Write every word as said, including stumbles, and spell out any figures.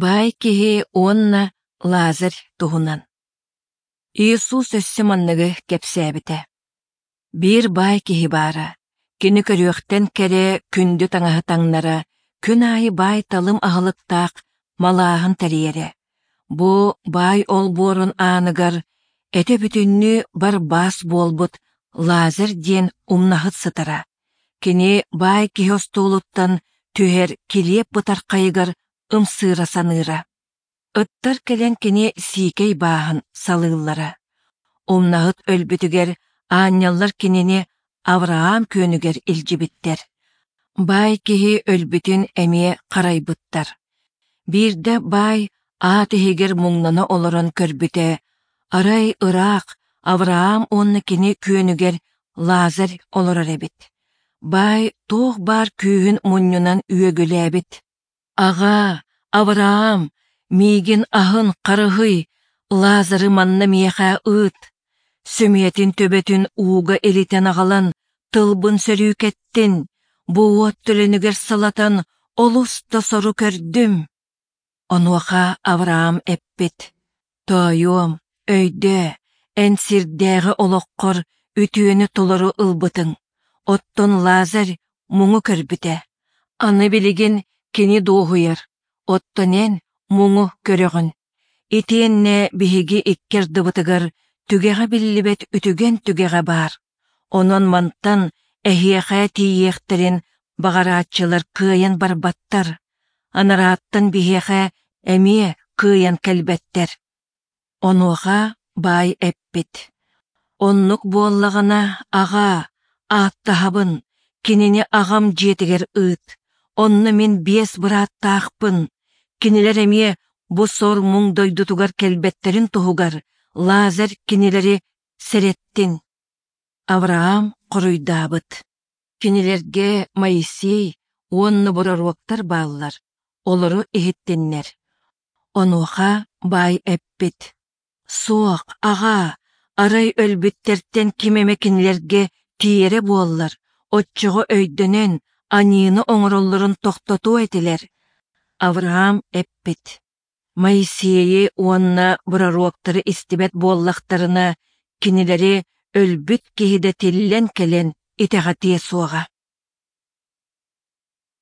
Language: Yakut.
Баай киһи уонна Лазарь туһунан. Иисус өссө манныгы кэпсээбитэ. Биир баай киһи баара. Кини көрүөхтэн кэрэ күндү таҥаһы таҥнара, күн аайы баай-талым аһылыктаах малааһын тэрийэрэ. Бу баай олбуорун ааныгар этэ бүтүннүү барбаас буолбут Лазарь диэн умнаһыт сытара. Кини баай киһи остуолуттан түһэр килиэп бытархайыгар ымсыыра саныыра. Ыттар кэлэн кини сиикэй бааһын салыыллара. Умнаһыт өлбүтүгэр аанньаллар кинини Авраам күөнүгэр илдьибиттэр. Баай киһи өлбүтүн эмиэ харайбыттар. Биирдэ баай аат иһигэр муҥнана олорон көрбүтэ, арай ыраах Авраам уонна кини күөнүгэр Лазарь олорор эбит. Баай туох баар күүһүн мунньунан үөгүлээбит: «Аҕаа, Авраам, миигин аһын харыһый, Лазары манна миэхэ ыыт. Сөмүйэтин төбөтүн ууга илитэн аҕалан, тылбын сөрүүкэттин, бу уот төлөнүгэр салатан олус да сору көрдүм». Онуоха Авраам эппит: «Тоойуом, өйдөө, эн сирдээҕи олоххор үтүөнү толору ылбытыҥ, оттон Лазарь муҥу көрбүтэ. Аны билигин кини дуоһуйар, оттон эн муҥу көрөҕүн. Итиэннэ биһиги икки ардыбытыгар түгэҕэ биллибэт үтүгэн түгэҕэ баар. Онон мантан эһиэхэ тиийиэхтэрин баҕарааччылар кыайан барбаттар, анарааттан биһиэхэ эмиэ кыайан кэлбэттэр». Онуоха баай эппит: «Оннук буоллаҕына, аҕаа, ааттаһабын, кинини аҕам дьиэтигэр ыыт, онно мин биэс бырааттаахпын, кинилэр эмиэ бу сор-муҥ дойдутугар кэлбэттэрин туһугар Лазарь кинилэри сэрэттин». Авраам хоруйдаабыт: «Кинилэргэ Моисей уонна бороруоктар бааллар, олору иһиттиннэр». Онуоха баай эппит: «Суох, аҕаа, арай өлбүттэртэн ким эмэ кинилэргэ тиийэрэ буоллар, оччоҕо өйдөнөн, аньыыны оҥороллорун тохтотуо этилэр». Авраам эппит: «Моисейы уонна бороруоктары истибэт буоллахтарына, кинилэри өлбүт киһи да тиллэн кэлэн итэҕэтиэ суоҕа».